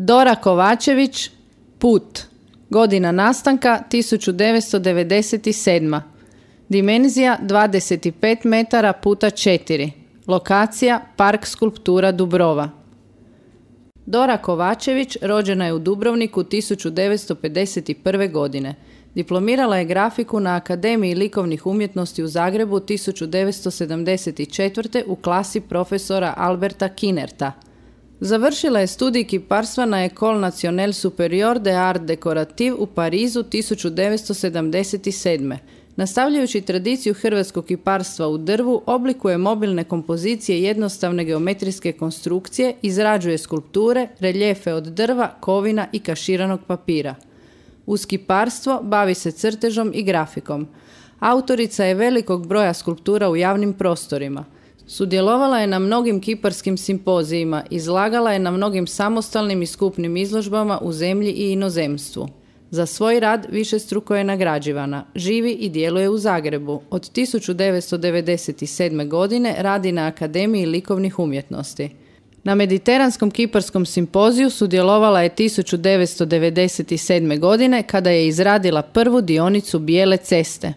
Dora Kovačević, Put. Godina nastanka 1997. Dimenzija 25 metara puta 4. Lokacija Park skulptura Dubrova. Dora Kovačević rođena je u Dubrovniku 1951. godine. Diplomirala je grafiku na Akademiji likovnih umjetnosti u Zagrebu 1974. u klasi profesora Alberta Kinerta. Završila je studij kiparstva na École Nationale Supérieure des Arts Décoratifs u Parizu 1977. Nastavljajući tradiciju hrvatskog kiparstva u drvu, oblikuje mobilne kompozicije jednostavne geometrijske konstrukcije, izrađuje skulpture, reljefe od drva, kovina i kaširanog papira. Uz kiparstvo bavi se crtežom i grafikom. Autorica je velikog broja skulptura u javnim prostorima. Sudjelovala je na mnogim kiparskim simpozijima, izlagala je na mnogim samostalnim i skupnim izložbama u zemlji i inozemstvu. Za svoj rad višestruko je nagrađivana. Živi i djeluje u Zagrebu. Od 1997. godine radi na Akademiji likovnih umjetnosti. Na Mediteranskom kiparskom simpoziju sudjelovala je 1997. godine kada je izradila prvu dionicu Bijele ceste.